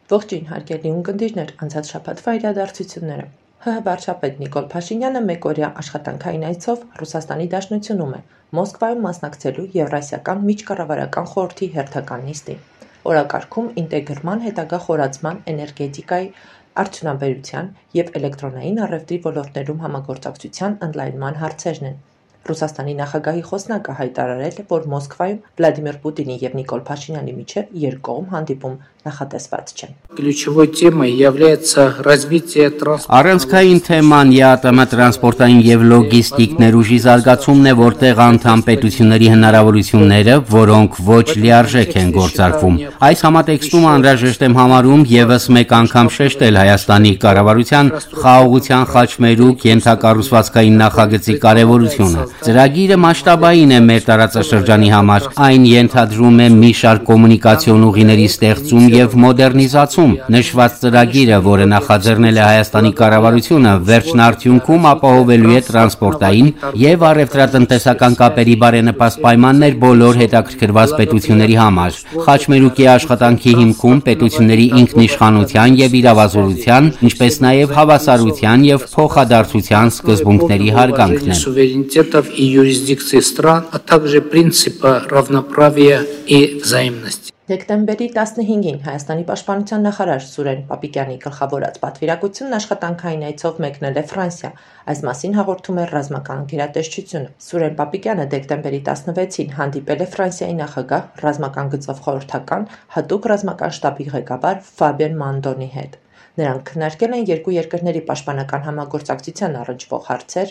Ողջույն հարգելի ունկնդիրներ, անցած շաբաթվա իրադարձությունները։ ՀՀ վարչապետ Նիկոլ Փաշինյանը մեկօրյա աշխատանքային այցով Ռուսաստանի Դաշնությունում է, Մոսկվայում մասնակցելու Եվրասիական միջկառավարական խորհրդի հերթական նիստին։ Օրակարգում ինտեգրման, հետագա խորացման, էներգետիկայի, արդյունաբերության և էլեկտրոնային առևտրի ոլորտներում համագործակցության ընդլայնման հարցերն են։ Ռուսաստանի նախագահի խոսնակը հայտարարել է, որ Մոսկվայում Վլադիմիր Պուտինի և Նիկոլ Փաշինյանի միջև երկկողմ հանդիպում նախատեսված չէ։ Առանցքային թեման ԵԱՏՄ տրանսպորտային և լոգիստիկ ներուժի զարգացումն է, որտեղ անդամ պետությունների հնարավորությունները, որոնք ոչ լիարժեք են գործարկվում։ Այս համատեքստում անհրաժեշտ եմ համարում ևս մեկ անգամ շեշտել Հայաստանի կառավարության խաղաղության խաչմերուկ ենթակառուցվածքային նախագծի կարևորությունը։ Ծրագիրը մասշտաբային է մեր տարածաշրջանի համար, այն ենթադրում է մի շարք կոմունիկացիոն ուղիների ստեղծում և մոդեռնիզացում։ Նշված ծրագիրը, որը նախաձեռնել է Հայաստանի կառավարությունը, վերջնարդյունքում ապահովելու է տրանսպորտային և առևտրատնտեսական կապերի բարենպաստ պայմաններ բոլոր հետաքրքրված պետությունների համար։ Խաչմերուկի աշխատանքի հիմքում պետությունների ինքնիշխանության և իրավազորության, ինչպես նաև հավասարության և փոխադարձության սկզբունքների հարգանքն է։ И юрисдикции стран, а также принципа равноправия и взаимности. Դեկտեմբերի 15-ին Հայաստանի պաշտպանության նախարար Սուրեն Պապիկյանի գլխավորած պատվիրակությունն աշխատանքային այցով մեկնել է Ֆրանսիա։ Այս մասին հաղորդում է ռազմական գերատեսչությունը։ Սուրեն Պապիկյանը դեկտեմբերի 16-ին հանդիպել է Ֆրանսիայի նախագահ, ռազմական գծով խորհրդական, հատուկ ռազմական շտաբի ղեկավար Ֆաբիեն Մանդոնի հետ։ Նրանք քննարկել են երկու երկրների պաշտպանական համագործակցության առնչվող հարցեր,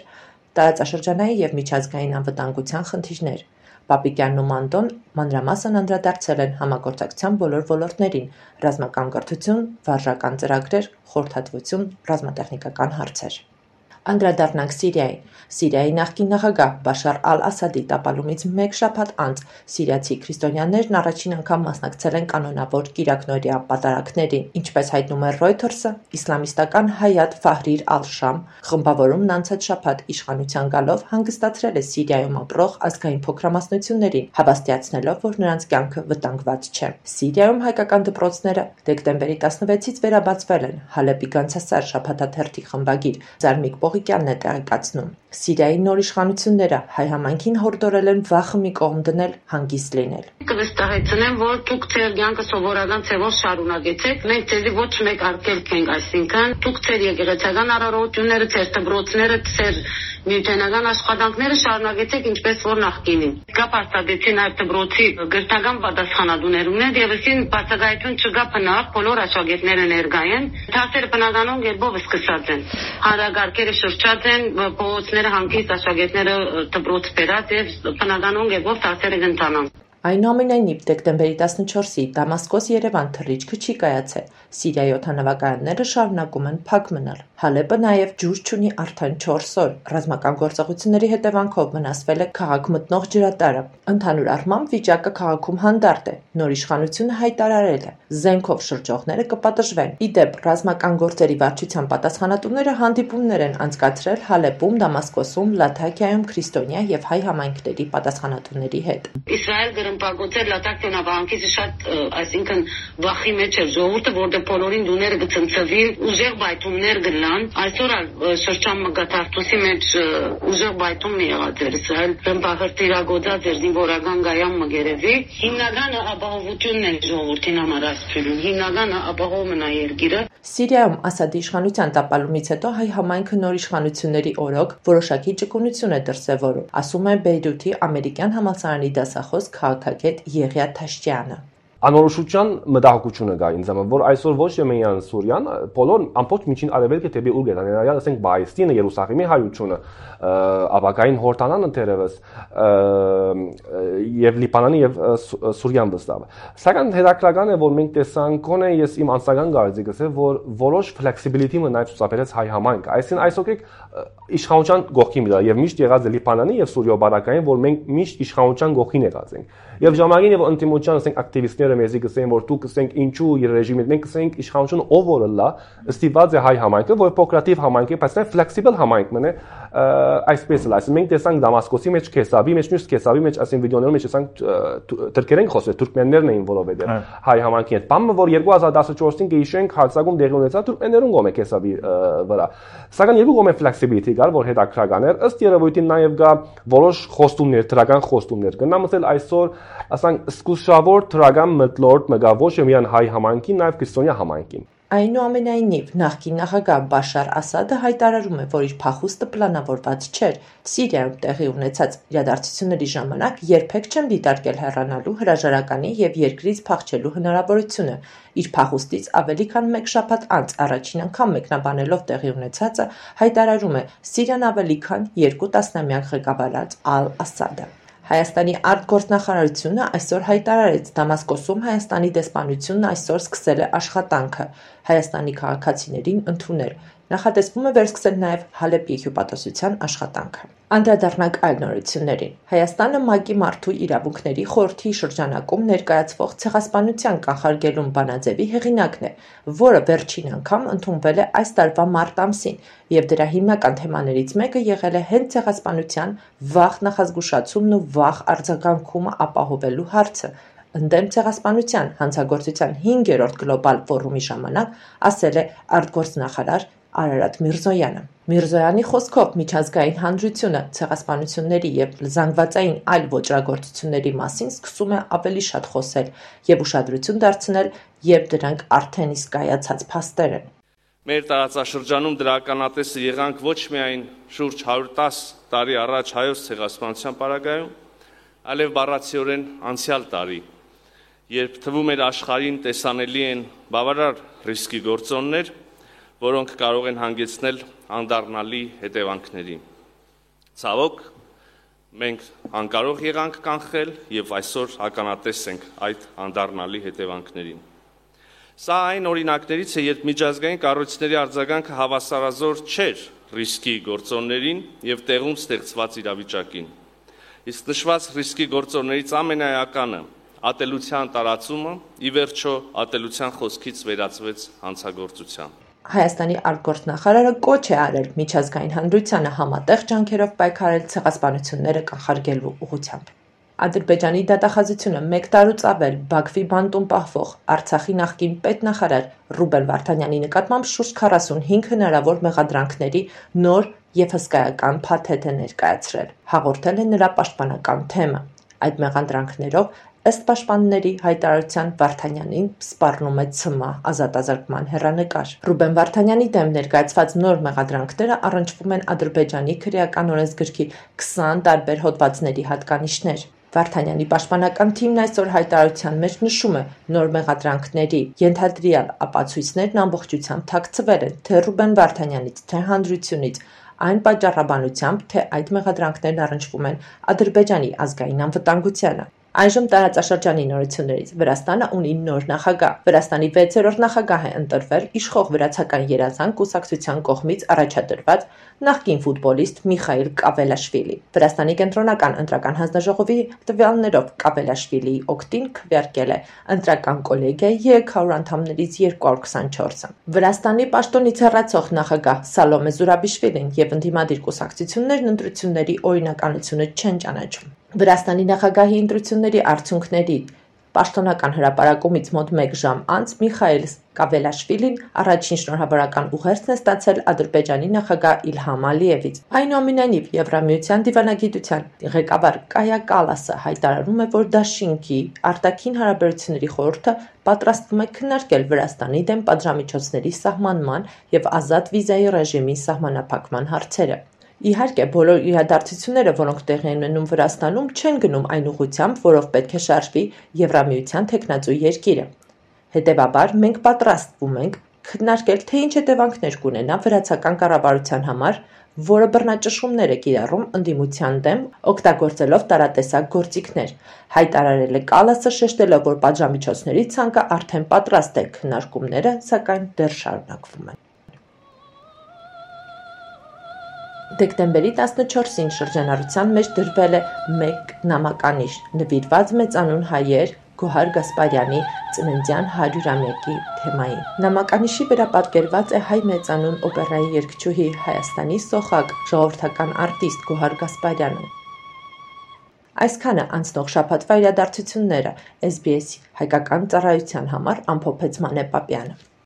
տարածաշրջանային և միջազգային անվտանգության խնդիրներ։ Պապիկյանն ու Մանդոն մանրամասն անդրադարձել են համագործակցության բոլոր ոլորտներին՝ ռազմական կրթություն, վարժական ծրագրեր, խորհրդատվություն, ռազմատեխնիկական հարցեր։ Անդրադառնանք Սիրիային։ Սիրիայի նախկին նախագահ Բաշար ալ-Ասադի տապալումից մեկ շաբաթ անց սիրիացի քրիստոնյաներն առաջին անգամ մասնակցել են կանոնավոր կիրակնօրյա պատարագներին։ Ինչպես հայտնում է Reuters-ը, իսլամիստական Հայաթ Ֆահրիր ալ-Շամ խմբավորումն անցած շաբաթ իշխանության գալով հանգստացրել է Սիրիայում ապրող ազգային փոքրամասնություններին, հավաստիացնելով, որ նրանց կյանքը վտանգված չէ։ Սիրիայում հայկական դպրոցները դեկտեմբերի 16-ից վերաբացվել են, Հալեպի Գանձասար շաբաթաթերթի խմբագիր Զարմիկ Պողիկյանն է տեղեկացնում։ Սիրիայի նոր իշխանությունները հայ համայնքին հորդորել են վախը մի կողմ դնել, հանգիստ լինել։ Կվստահեցնեմ, որ դուք ձեր կյանքը սովորական ձևով շարունակեցեք։ Մենք ձեզի ոչ մեկ արգելք ենք, այսինքն դուք ձեր եկեղեցական առողջությունները, ձեր դպրոցները, ձեր միութենական աշխատանքները շարունակեցեք ինչպես որ նախկինին։ Կա պարտադեցի նաև դպրոցի գրթական պատասխանատուներումներ եւ այսին բացակայություն չկա բնավ, բոլոր աշակերտները ներկա են։ Դասերը բնականon գերբով սկսած են։ Հանրագարքերը շրջած են, փողոցները հանգիստ աշակերտները դպրոց բերած եւ բնականon գերբով դասերը կընթանան։ Այնուամենայնիվ, դեկտեմբերի 14-ի Դամասկոս-Երևան թռիչքը չի կայացել։ Սիրիայի օդանավակայանները շարունակում են փակ մնալ։ Հալեպը նաև ջուր չունի արդեն 4 օր։ Ռազմական գործողությունների հետևանքով վնասվել է քաղաք մտնող ջրատարը։ Ընդհանուր առմամբ վիճակը քաղաքում հանդարտ է։ Նոր իշխանությունը հայտարարել է, զենքով շրջողները կպատժվեն։ Ի դեպ, ռազմական գործերի վարչության պատասխանատուները հանդիպումներ են անցկացրել Հալեպում, Դամասկոսում, Լաթաքիայում, քրիստոնյա եւ հայ համայնքների պատասխանատուների հետ։ Իսրայել Պագոծել լատակյոնա բանկից շատ, այսինքն վախի մեջ էր ժողովուրդը, որտեղ բոլորին դուները կցնցվին, ուժեղ բայթումներ գնան։ Այսօր շրջան մգաթարտուսի մեջ ուժեղ բայթում մի եղած էր Իսրայել ռմբահրթիռագործած էր զինվորական գայան մգերեվի։ Հիմնականը ապահովությունն է ժողովրդին համար ասում, հիմնականը ապահովում է երկիրը։ Սիրիայում Ասադի իշխանության տապալումից հետո հայ համայնքը նոր իշխանությունների օրոք որոշակի ճկունություն է դրսևորում, ասում է Բեյրութի ամերիկյան համալսարանի դասախոս քաղաքագետ Եղիա Թաշչյանը։ Անորոշության մտահոգությունը կա ինձ համար, որ այսօր ոչ միայն Սուրիան, բոլոր ամբողջ միջին արևելքը դեպի ուր գնան, ներառյալ ասենք Պաղեստինը, Երուսաղեմի հայությունը, ապագային Հորդանանը դերևս եւ Լիբանանը եւ Սուրիան վստահ։ Սակայն հետաքրքրական է, որ մենք տեսանք, գոնե ես իմ անձնական կարծիքս է, որ որոշ flexibility մնաց ցուցաբերեց հայ համայնքը։ Այսինքն այսօր իշխանության կողքին դրա եւ միշտ եղած է Լիբանանի եւ Սուրիա բարակային, որ մենք միշտ իշխանության կողքին եղած ենք։ Եվ ժամանակին եւ ընտիմության ասենք ակտիվիստները մեզի կսեն, որ դուք կսենք ինչու իր ռեժիմը, մենք կսենք իշխանությունը ով որը լա, ստիպված է հայ համայնքը, որ փոքրատիվ համայնք է, բայց նաեւ flexible համայնք մնե, այսպես էլ այսինքն մենք տեսանք Դամասկոսի մեջ Քեսաբի մեջ մյուս Քեսաբի մեջ ասին վիդեոներում մեջ տեսանք թուրքերեն խոսել թուրքմեններն էին որովհետեւ հայ համայնքի հետ բանը որ 2014-ին կհիշենք հարձակում դեղի ունեցավ թուրքմեններուն կողմէ Քեսաբի վրա սակայն երկու կողմէ flexibility կար որ հետաքրական էր ըստ երևույթին նաև գա որոշ խոստումներ դրական խոստումներ գնամ ասել այսօր ասենք սկսուշավոր դրական մտլորդ մգա ոչ միայն հայ համայնքին նաև քրիստոնյա համայնքին Այնուամենայնիվ, նախկին նախագահ Բաշար Ասադը հայտարարում է, որ իր փախուստը պլանավորված չէր։ Սիրիայում տեղի ունեցած իրադարձությունների ժամանակ երբեք չեն դիտարկել հեռանալու հրաժարականի եւ երկրից փախչելու հնարավորությունը։ Իր փախուստից ավելի քան 1 շաբաթ անց առաջին անգամ մեկնաբանելով տեղի ունեցածը հայտարարում է Սիրիան ավելի քան 2 տասնամյակ ղեկավարած Ալ-Ասադը։ Հայաստանի արտգործնախարարությունը այսօր հայտարարեց Դամասկոսում Հայաստանի դեսպանությունն այսօր սկսել է աշխատանքը Հայաստանի քաղաքացիներին ընդունել։ Նախատեսվում է վերսկսել նաև Հալեպի հյուպատոսության աշխատանքը։ Անդրադառնանք այլ նորություններին։ Հայաստանը ՄԱԿ-ի մարդու իրավունքների խորհրդի շրջանակում ներկայացվող ցեղասպանության կանխարգելում բանաձևի հեղինակն է, որը վերջին անգամ ընդունվել է այս տարվա մարտ ամսին, եւ դրա հիմնական թեմաներից մեկը եղել է հենց ցեղասպանության վաղ նախազգուշացումն ու վաղ արձագանքումը ապահովելու հարցը։ Ընդդեմ ցեղասպանության հանցագործության 5-րդ գլոբալ ֆորումի ժամանակ ասել է արտգործնախարար Արարատ Միրզոյանը։ Միրզոյանի խոսքով միջազգային հանրությունը ցեղասպանությունների եւ զանգվածային այլ ոճրագործությունների մասին սկսում է ավելի շատ խոսել եւ ուշադրություն դարձնել, երբ դրանք արդեն իսկ կայացած փաստեր են։ Մեր տարածաշրջանում դրականատեսը եղանք ոչ միայն շուրջ 110 տարի առաջ հայոց ցեղասպանության պարագայում, այլև բառացիորեն անցյալ տարի, երբ թվում էր աշխարհին տեսանելի են բավարար ռիսկի գործոններ, որոնք կարող են հանգեցնել անդառնալի հետևանքների։ Ցավոք, մենք անկարող եղանք կանխել եւ այսօր ականատես ենք այդ անդառնալի հետևանքներին։ Սա այն օրինակներից է, երբ միջազգային կառույցների արձագանքը հավասարազոր չէր ռիսկի գործոններին եւ տեղում ստեղծված իրավիճակին։ Իսկ նշված ռիսկի գործոններից ամենաեականը ատելության տարածումը ի վերջո ատելության խոսքից վերածվեց հանցագործության։ Հայաստանի արտգործնախարարը կոչ է արել միջազգային հանրությանը համատեղ ջանքերով պայքարել ցեղասպանությունները կանխարգելու ուղղությամբ։ Ադրբեջանի դատախազությունը 1 տարուց ավել Բաքվի բանտում պահվող Արցախի նախկին պետնախարար Ռուբեն Վարդանյանի նկատմամբ շուրջ 45 հնարավոր մեղադրանքների նոր եւ հսկայական փաթեթ է ներկայացրել, հաղորդել է նրա պաշտպանական թեմը։ Այդ մեղադրանքներով ըստ պաշտպանների հայտարարության Վարդանյանին սպառնում է ՑՄԱ ազատազրկման հեռանկար։ Ռուբեն Վարդանյանի դեմ ներկայացված նոր մեղադրանքները առնչվում են Ադրբեջանի քրեական օրենսգրքի 20 տարբեր հոդվածների հատկանիշներ։ Վարդանյանի պաշտպանական թիմն այսօր հայտարարության մեջ նշում է նոր մեղադրանքների ենթադրյալ ապացույցներն ամբողջությամբ թաքցվել են թե Ռուբեն Վարդանյանից, թե հանրությունից, այն պատճառաբանությամբ, թե այդ մեղադրանքներն առնչվում են Ադրբեջանի ազգային անվտանգությանը։ Այժմ տարածաշրջանի նորություններից Վրաստանը ունի նոր նախագահ։ Վրաստանի 6-րդ նախագահ է ընտրվել իշխող վրացական երազանք կուսակցության կողմից առաջադրված նախկին ֆուտբոլիստ Միխայիլ Կավելաշվիլի։ Վրաստանի կենտրոնական ընտրական հանձնաժողովի տվյալներով Կավելաշվիլիի օգտին քվեարկել է ընտրական կոլեգիայի 300 անդամներից 224-ը։ Վրաստանի պաշտոնից հեռացող նախագահ Սալոմե Զուրաբիշվիլին եւ ընդդիմադիր կուսակցություններն ընտրությունների օրինականությունը չեն ճանաչում։ Վրաստանի նախագահի ընտրությունների արդյունքների պաշտոնական հրապարակումից մոտ 1 ժամ անց Միխայիլ Կավելաշվիլին առաջին շնորհավորական ուղերձն է ստացել Ադրբեջանի նախագահ Իլհամ Ալիևից։ Այնուամենայնիվ Եվրամիության դիվանագիտության ղեկավար Կայա Կալասը հայտարարում է, որ Դաշինքի արտաքին հարաբերությունների խորհուրդը պատրաստվում է քննարկել Վրաստանի դեմ պատժամիջոցների սահմանման եւ ազատ վիզայի ռեժիմի սահմանափակման հարցերը։ Իհարկե, բոլոր իրադարձությունները, որոնք տեղի են ունենում Վրաստանում, չեն գնում այն ուղղությամբ, որով պետք է շարժվի Եվրամիության թեկնածու երկիրը։ Հետևաբար, մենք պատրաստվում ենք քննարկել, թե ինչ հետևանքներ կունենա վրացական կառավարության համար, որը բռնաճնշումներ է կիրառում ընդդիմության դեմ, օգտագործելով տարատեսակ գործիքներ, հայտարարել է Կալասը, շեշտելով, որ պատժամիջոցների ցանկը արդեն պատրաստ է, քննարկումները, սակայն դեռ շարունակվում են։ Դեկտեմբերի 14-ին շրջանառության մեջ դրվել է մեկ նամականիշ նվիրված մեծանուն հայեր, Գոհար Գասպարյանի ծննդյան 100-ամյակի թեմային։ Նամականիշի վրա պատկերված է հայ մեծանուն օպերայի երգչուհի, Հայաստանի սոխակ, ժողովրդական արտիստ Գոհար Գասպարյանը։ Այսքանը անցնող շաբաթվա իրադարձությունները SBS հայկական ծառայության համար ամփոփեց Մանե Պապյանը։